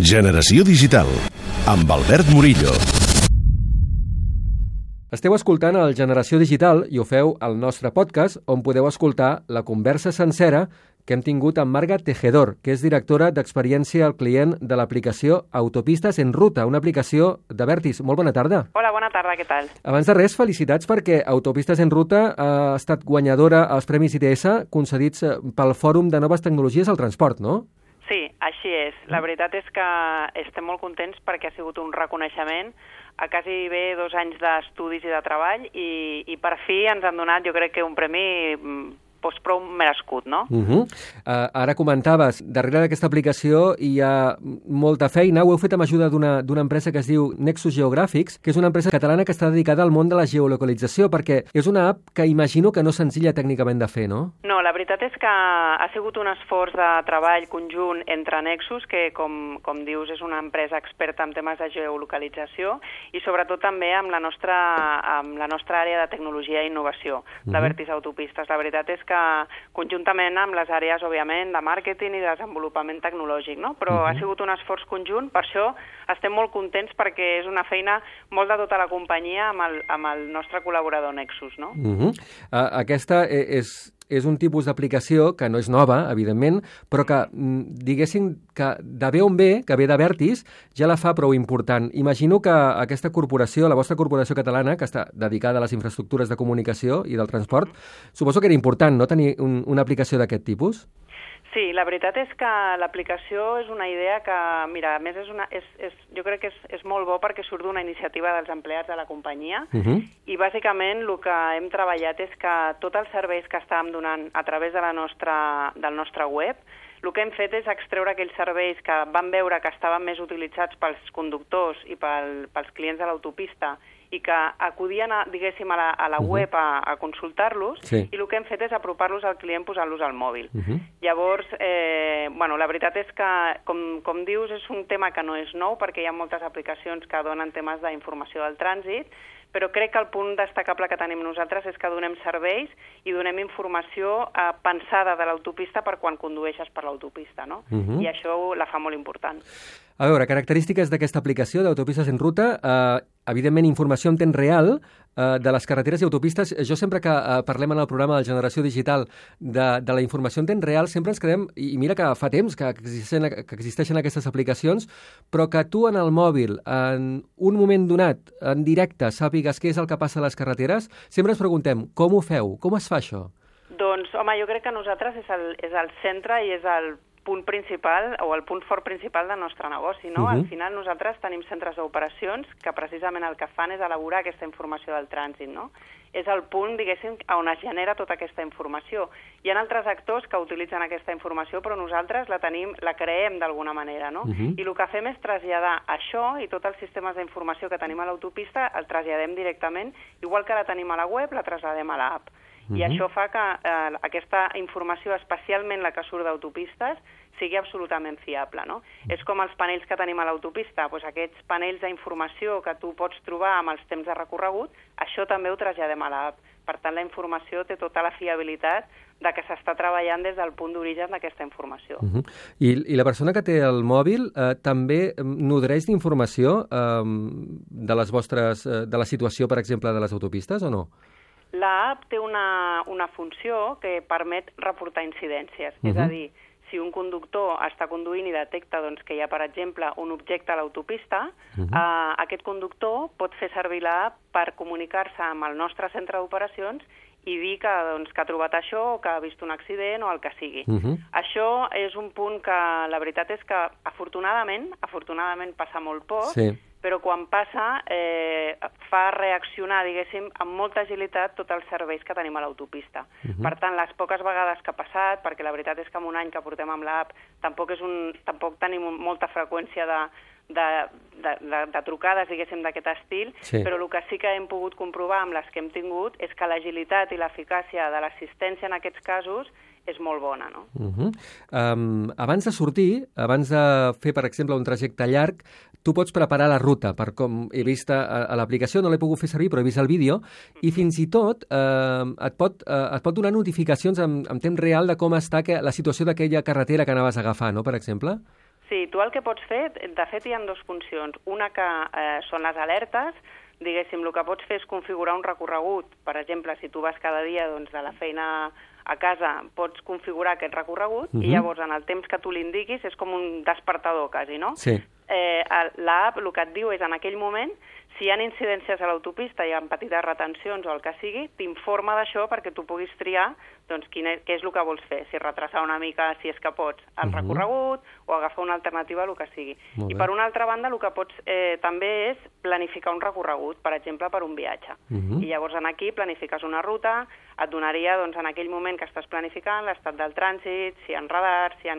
Generació Digital, amb Albert Murillo. Esteu escoltant el Generació Digital i ho feu al nostre podcast, on podeu escoltar la conversa sencera que hem tingut amb Marga Tejedor, que és directora d'experiència al client de l'aplicació Autopistes en Ruta, una aplicació d'Avertis. Molt bona tarda. Hola, bona tarda, què tal? Abans de res, felicitats perquè Autopistes en Ruta ha estat guanyadora als Premis ITS concedits pel Fòrum de Noves Tecnologies al Transport, no? Sí, així és. La veritat és que estem molt contents perquè ha sigut un reconeixement a quasi bé 2 anys d'estudis i de treball i per fi ens han donat, jo crec que un premi prou merescut, no? Ara comentaves, darrere d'aquesta aplicació hi ha molta feina. Ho heu fet amb ajuda d'una empresa que es diu Nexus Geogràfics, que és una empresa catalana que està dedicada al món de la geolocalització, perquè és una app que imagino que no és senzilla tècnicament de fer, no? No, la veritat és que ha sigut un esforç de treball conjunt entre Nexus, que com dius és una empresa experta en temes de geolocalització, i sobretot també amb la nostra àrea de tecnologia i innovació, d'Avertis Autopistes. La veritat és que conjuntament amb les àrees, òbviament, de màrqueting i de desenvolupament tecnològic, no? Però ha sigut un esforç conjunt, per això estem molt contents perquè és una feina molt de tota la companyia amb el nostre col·laborador Nexus, no? Aquesta és un tipus d'aplicació que no és nova, evidentment, però que, diguéssim, que de bé on ve, que ve d'Avertis, ja la fa prou important. Imagino que aquesta corporació, la vostra corporació catalana, que està dedicada a les infraestructures de comunicació i del transport, suposo que era important, no?, tenir una aplicació d'aquest tipus? Sí, la veritat és que l'aplicació és una idea que, mira, a més jo crec que és molt bo perquè surt d'una iniciativa dels empleats de la companyia i bàsicament el que hem treballat és que tots els serveis que estàvem donant a través de del nostre web, el que hem fet és extreure aquells serveis que vam veure que estaven més utilitzats pels conductors i pels clients de l'autopista i que acudien, diguéssim, a la web a consultar-los, sí. I el que hem fet és apropar-los al client posant-los al mòbil. Llavors, la veritat és que, com dius, és un tema que no és nou perquè hi ha moltes aplicacions que donen temes d'informació del trànsit, però crec que el punt destacable que tenim nosaltres és que donem serveis i donem informació pensada de l'autopista per quan condueixes per l'autopista, no? I això la fa molt important. A veure, característiques d'aquesta aplicació d'Autopistes en Ruta, evidentment informació en temps real de les carreteres i autopistes. Jo sempre que parlem en el programa de Generació Digital de la informació en temps real, sempre ens quedem, i mira que fa temps que existeixen aquestes aplicacions, però que tu en el mòbil, en un moment donat, en directe, sàpigues què és el que passa a les carreteres, sempre ens preguntem, com ho feu? Com es fa això? Doncs, home, jo crec que nosaltres és el centre i és el punt principal o el punt fort principal del nostre negoci, no? Al final nosaltres tenim centres d'operacions que precisament el que fan és elaborar aquesta informació del trànsit, no? És el punt, diguéssim, on es genera tota aquesta informació. Hi ha altres actors que utilitzen aquesta informació, però nosaltres la creem d'alguna manera, no? I el que fem és traslladar això i tots els sistemes d'informació que tenim a l'autopista el traslladem directament, igual que la tenim a la web, la traslladem a l'app. I això fa que aquesta informació, especialment la que surt d'autopistes, sigui absolutament fiable, no? És com els panells que tenim a l'autopista, doncs aquests panells d'informació que tu pots trobar amb els temps de recorregut, això també ho traslladem a l'app. Per tant, la informació té tota la fiabilitat de que s'està treballant des del punt d'origen d'aquesta informació. I la persona que té el mòbil també nodreix d'informació de la situació, per exemple, de les autopistes o no? L'app té una funció que permet reportar incidències, és a dir, si un conductor està conduint i detecta que hi ha, per exemple, un objecte a l'autopista, aquest conductor pot fer servir l'app per comunicar-se amb el nostre centre d'operacions i dir que ha trobat això o que ha vist un accident o el que sigui. Això és un punt que la veritat és que afortunadament passa molt poc, però quan passa fa reaccionar, diguéssim, amb molta agilitat tots els serveis que tenim a l'autopista. Per tant, les poques vegades que ha passat, perquè la veritat és que en un any que portem amb l'app tampoc tenim molta freqüència de trucades, diguéssim, d'aquest estil, però el que sí que hem pogut comprovar amb les que hem tingut és que l'agilitat i l'eficàcia de l'assistència en aquests casos és molt bona, no? Abans de sortir, abans de fer, per exemple, un trajecte llarg, tu pots preparar la ruta, per com he vist a l'aplicació, no l'he pogut fer servir, però he vist el vídeo, i fins i tot et pot donar notificacions en temps real de com està la situació d'aquella carretera que anaves a agafar, no?, per exemple? Sí, tu el que pots fer, de fet hi ha dues funcions. Una que són les alertes, diguéssim, el que pots fer és configurar un recorregut. Per exemple, si tu vas cada dia doncs, de la feina a casa, pots configurar aquest recorregut i llavors en el temps que tu l'indiquis és com un despertador quasi, no? Sí. L'app el que et diu és en aquell moment, si hi ha incidències a l'autopista, hi ha petites retencions o el que sigui, t'informa d'això perquè tu puguis triar doncs, què és el que vols fer, si retrasar una mica, si és que pots, el recorregut o agafar una alternativa, el que sigui. I per una altra banda, el que pots també és planificar un recorregut, per exemple, per un viatge. I llavors aquí planifiques una ruta, et donaria doncs, en aquell moment que estàs planificant l'estat del trànsit, si hi ha radars, si hi ha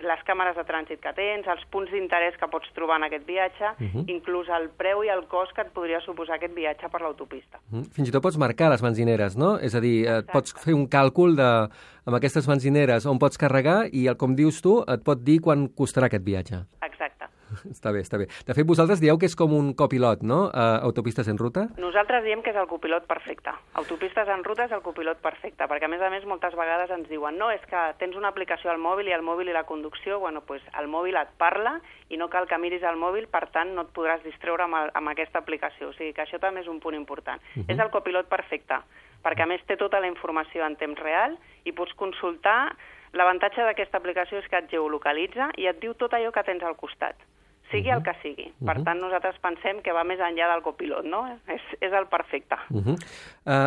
les càmeres de trànsit que tens, els punts d'interès que pots trobar en aquest viatge, inclús el preu i el cost que et podria suposar aquest viatge per l'autopista. Fins i tot pots marcar les benzineres, no? És a dir, pots fer un càlcul amb aquestes benzineres on pots carregar i, com dius tu, et pot dir quan costarà aquest viatge. Exacte. Està bé, està bé. De fet, vosaltres dieu que és com un copilot, no? Autopistes en ruta? Nosaltres diem que és el copilot perfecte. Autopistes en ruta és el copilot perfecte, perquè a més, moltes vegades ens diuen no, és que tens una aplicació al mòbil i el mòbil i la conducció, bueno, doncs el mòbil et parla i no cal que miris el mòbil, per tant no et podràs distreure amb aquesta aplicació. O sigui que això també és un punt important. És el copilot perfecte, perquè a més té tota la informació en temps real i pots consultar. L'avantatge d'aquesta aplicació és que et geolocalitza i et diu tot allò que tens al costat, sigui el que sigui. Per tant, nosaltres pensem que va més enllà del copilot, no? És el perfecte.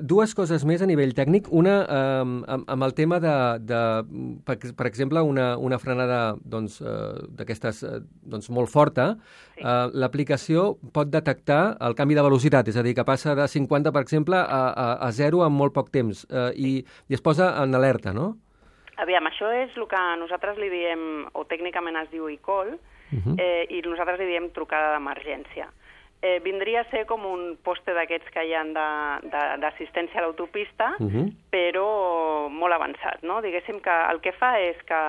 Dues coses més a nivell tècnic. Una, amb el tema per exemple, una frenada d'aquestes molt forta, l'aplicació pot detectar el canvi de velocitat, és a dir, que passa de 50, per exemple, a 0 en molt poc temps, i es posa en alerta, no? Aviam, això és el que nosaltres li diem, o tècnicament es diu e-call, i nosaltres li diem trucada d'emergència. Vindria a ser com un poste d'aquests que hi ha d'assistència a l'autopista, però molt avançat, no? Diguéssim que el que fa és que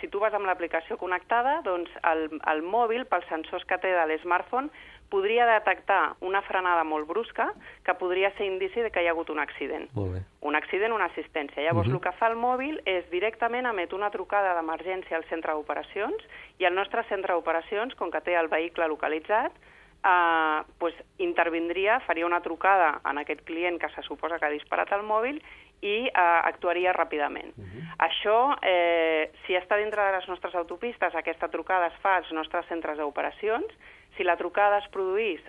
si tu vas amb l'aplicació connectada, doncs el mòbil, pels sensors que té de l'smartphone, podria detectar una frenada molt brusca que podria ser indici de que hi ha hagut un accident. Un accident, una assistència. Llavors, el que fa el mòbil és directament emet una trucada d'emergència al centre d'operacions i el nostre centre d'operacions, com que té el vehicle localitzat, intervindria, faria una trucada en aquest client que se suposa que ha disparat el mòbil i actuaria ràpidament. Això, si està dintre de les nostres autopistes, aquesta trucada es fa als nostres centres d'operacions. Si la trucada es produís,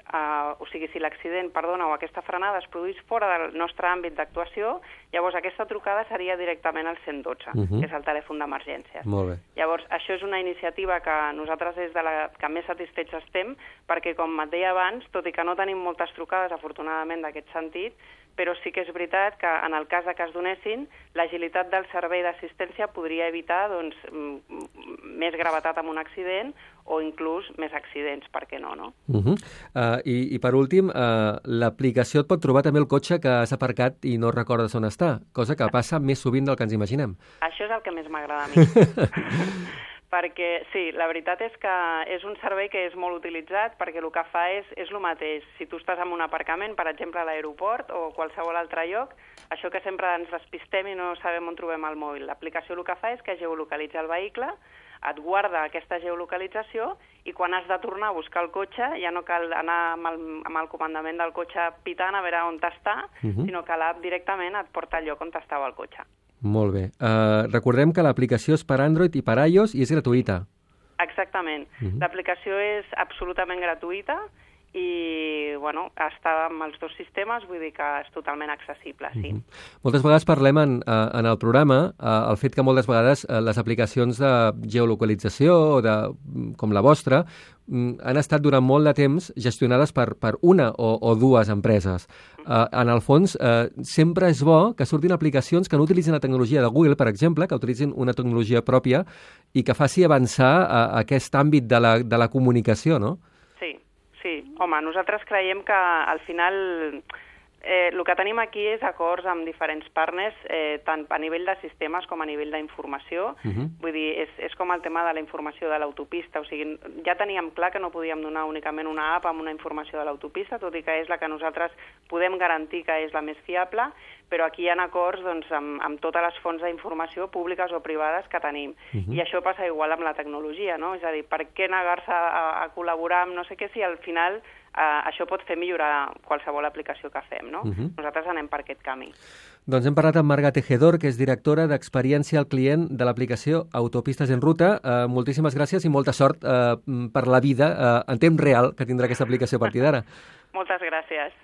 o sigui, si l'accident, o aquesta frenada es produís fora del nostre àmbit d'actuació, llavors aquesta trucada seria directament al 112, que és el telèfon d'emergències. Molt bé. Llavors, això és una iniciativa que nosaltres és de la que més satisfets estem, perquè, com et deia abans, tot i que no tenim moltes trucades, afortunadament, d'aquest sentit, però sí que és veritat que en el cas que es donessin, l'agilitat del servei d'assistència podria evitar més gravetat amb un accident o inclús més accidents, per què no? I per últim, l'aplicació et pot trobar també el cotxe que has aparcat i no recordes on està, cosa que passa més sovint del que ens imaginem. Això és el que més m'agrada a mi. Perquè, sí, la veritat és que és un servei que és molt utilitzat perquè el que fa és el mateix. Si tu estàs en un aparcament, per exemple a l'aeroport o qualsevol altre lloc, això que sempre ens despistem i no sabem on trobem el mòbil. L'aplicació el que fa és que geolocalitza el vehicle, et guarda aquesta geolocalització i quan has de tornar a buscar el cotxe ja no cal anar amb el comandament del cotxe pitant a veure on està, sinó que l'app directament et porta al lloc on estava el cotxe. Molt bé. Recordem que l'aplicació és per Android i per iOS i és gratuïta. Exactament. L'aplicació és absolutament gratuïta i, està amb els dos sistemes, vull dir que és totalment accessible, sí. Moltes vegades parlem en el programa el fet que moltes vegades les aplicacions de geolocalització com la vostra han estat durant molt de temps gestionades per una o dues empreses. En el fons, sempre és bo que surtin aplicacions que no utilitzin la tecnologia de Google, per exemple, que utilitzin una tecnologia pròpia i que faci avançar aquest àmbit de la comunicació, no? Sí. Home, nosaltres creiem que al final el que tenim aquí és acords amb diferents partners, tant a nivell de sistemes com a nivell d'informació. Vull dir, és com el tema de la informació de l'autopista. O sigui, ja teníem clar que no podíem donar únicament una app amb una informació de l'autopista, tot i que és la que nosaltres podem garantir que és la més fiable, però aquí hi ha acords doncs, amb totes les fonts d'informació públiques o privades que tenim. I això passa igual amb la tecnologia, no? És a dir, per què negar-se a col·laborar amb no sé què si al final això pot fer millorar qualsevol aplicació que fem, no? Nosaltres anem per aquest camí. Doncs hem parlat amb Marga Tejedor, que és directora d'Experiència al Client de l'aplicació Autopistes en Ruta. Moltíssimes gràcies i molta sort per la vida en temps real que tindrà aquesta aplicació a partir d'ara. Moltes gràcies.